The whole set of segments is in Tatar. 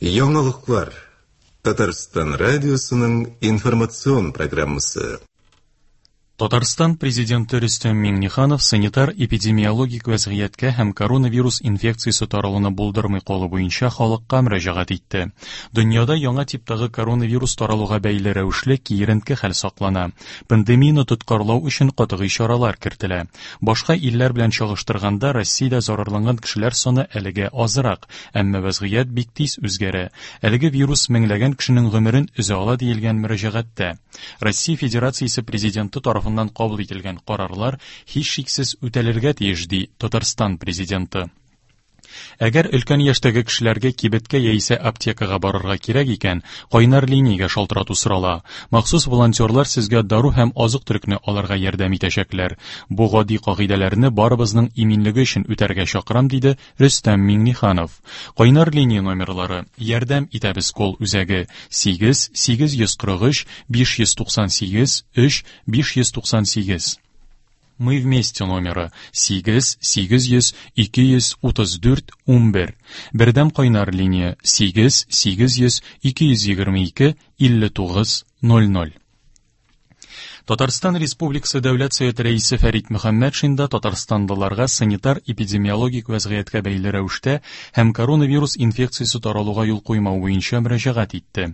Яңалыклар. Татарстан радиосының информацион программасы. Татарстан Президенты Рөстәм Миңнеханов санитар-эпидемиологик вәзгыятькә һәм коронавирус инфекциясе таралуны булдырмый калу буенча халыкка мөрәҗәгать итте. Дөньяда яңа типтагы коронавирус таралуга бәйле рәвешле киеренке хәл саклана. Пандемияне тоткарлау өчен катгый чаралар кертелә. Башка илләр белән чагыштырганда Россиядә зарарланган кешеләр саны әлегә азрак, әмма вәзгыять бик тиз үзгәрә. Әлеге вирус меңләгән кешенең гомерен өзә ала диелгән мөрәҗәгатьтә. Россия Федерациясе Президенты тарафыннан кабул ителгән карарлар һичшиксез үтәлергә тиеш, ди Татарстан Президенты. Әгәр өлкән яшьтәге кешеләргә кибеткә яисә аптекага барырга кирәк икән, кайнар линиягә шалтырату сорала. Махсус волонтерлар сезгә дару һәм азык-төлекне алырга ярдәм итәчәкләр. Бу гади кагыйдәләрне барыбызның иминлеге өчен үтәргә чакырам, диде Рөстәм Миңнеханов. Кайнар линия номерлары Ярдәм итәбез кол үзәге 8 843 598 3 598. Мы вместе номеры 8 800 234 11. Бердәм кайнар линия 8 800 222 59 00. Татарстан Республикасы Дәүләт Советы Рәисе Фәрит Мөхәммәтшин да татарстанлыларга санитар-эпидемиологик вәзгыятькә бәйле рәвештә һәм коронавирус инфекциясе таралуга юл куймау буенча мөрәҗәгать итте.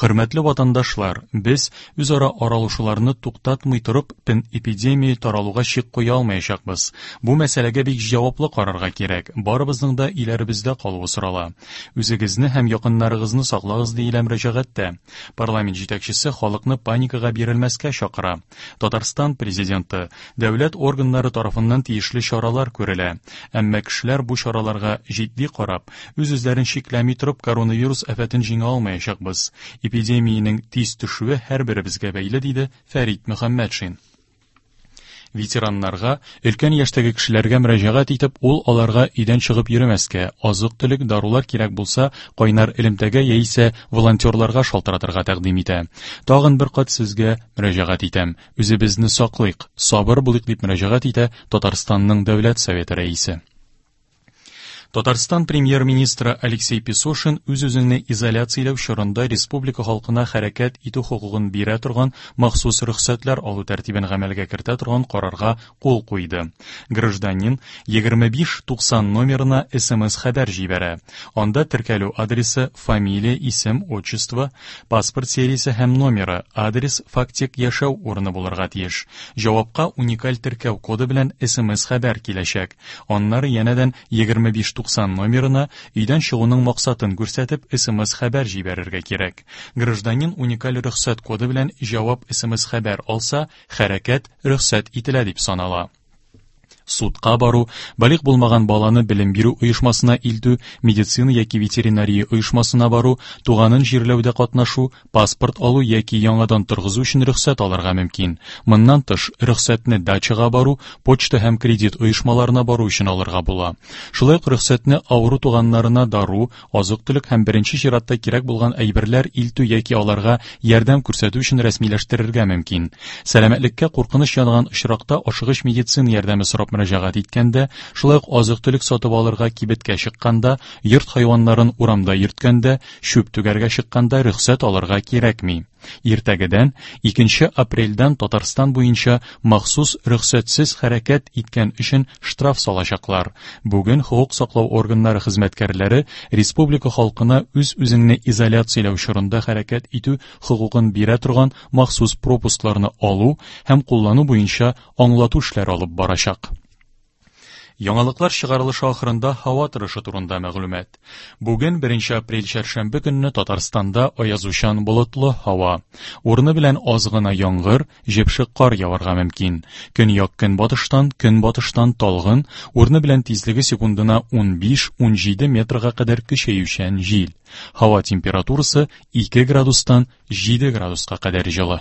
Хөрмәтле ватандашлар, без үзара аралашуларны туктатмый торып, эпидемия таралуга чик куя алмаячакбыз. Бу мәсьәләгә бик җаваплы карарга кирәк. Барыбызның да өйләребездә калуы сорала. Үзегезне һәм якыннарыгызны саклагыз, диелә мөрәҗәгатьтә. Парламент җитәкчесе халыкны паникага бирелмәскә чакыра. Татарстан президенты, дәүләт органнары тарафыннан тиешле чаралар күрелә. Әмма кешеләр бу чараларга җитди карап, үз-үзләрен чикләми торып коронавирус афәтен җиңә алмаячакбыз. Эпидемиянең тиз төшүе һәрберебезгә бәйле, диде Фәрит Мөхәммәтшин. Ветераннарга, өлкән яшьтәге кешеләргә мөрәҗәгать итеп, ул аларга өйдән чыгып йөрмәскә, азык-төлек, дарулар кирәк булса, кайнар элемтәгә яисә волонтерларга шалтыратырга тәкъдим итә. Тагын бер кат сезгә мөрәҗәгать итәм, үзебезне саклыйк, сабыр булыйк, дип мөрәҗәгать итә Татарстанның Дәүләт Советы рәисе. Татарстан премьер-министры Алексей Песошин үз-үзеңне изоляцияләү чорында республика халкына хәрәкәт итү хокукын бирә торган махсус рөхсәтләр алу тәртибен гамәлгә кертә торган карарга кул куйды. Гражданин 2590 номерына СМС-хәбәр җибәрә. Анда теркәлү адресы, фамилия, исем, отчество, паспорт сериясе һәм номеры, адрес, фактик яшәү урыны булырга тиеш. Җавапка уникаль теркәү коды белән СМС-хәбәр киләчәк. Аннары янәдән 2590 номерына өйдән чыгуның максатын күрсәтеп СМС-хәбәр җибәрергә кирәк. Гражданин уникаль рөхсәт коды белән җавап СМС-хәбәр алса, хәрәкәт рөхсәт ителә дип санала. Судка бару, балигъ булмаган баланы белем бирү оешмасына илтү, медицина яки ветеринария оешмасына бару, туганын җирләүдә катнашу, паспорт алу яки яңадан торгызу өчен рөхсәт алырга мөмкин. Моннан тыш, рөхсәтне дачага бару, почта һәм кредит оешмаларына бару өчен алырга була. Шулай ук рөхсәтне авыру туганнарына дару, азык-төлек һәм беренче чиратта кирәк булган әйберләр илтү яки аларга ярдәм күрсәтү өчен рәсмиләштерергә мөмкин. Сәламәтлеккә куркыныч янаган очракта ашыгыч медицина ярдәме сорап мөрәҗәгать иткәндә, шулай ук азык-төлек сатып алырга кибеткә чыкканда, йорт хайваннарын урамда йөрткәндә, чүп түгәргә чыкканда рөхсәт алырга кирәкми. Иртәгедән, 2 апрельдән Татарстан буенча махсус рөхсәтсез хәрәкәт иткән өчен штраф салачаклар. Бүген хокук саклау органнары хезмәткәрләре республика халкына үз-үзеңне изоляцияләү чорында хәрәкәт итү хокукын бирә торган махсус пропускларны алу һәм куллану буенча аңлату эшләре алып барачак. Яңалыклар чыгарылышы ахырында һава торышы турында мәгълүмат. Бүген 1 апрель чәршәмбе көнне Татарстанда аязучан болытлы һава. Урыны белән аз гына яңгыр, җепшек кар яварга мөмкин. Көньяк көнбатыштан, көнбатыштан талгын, урыны белән тизлеге секундына 15-17 метрга кадәр көчәючән җил. Һава температурасы 2 градустан 7 градуска кадәр җылы.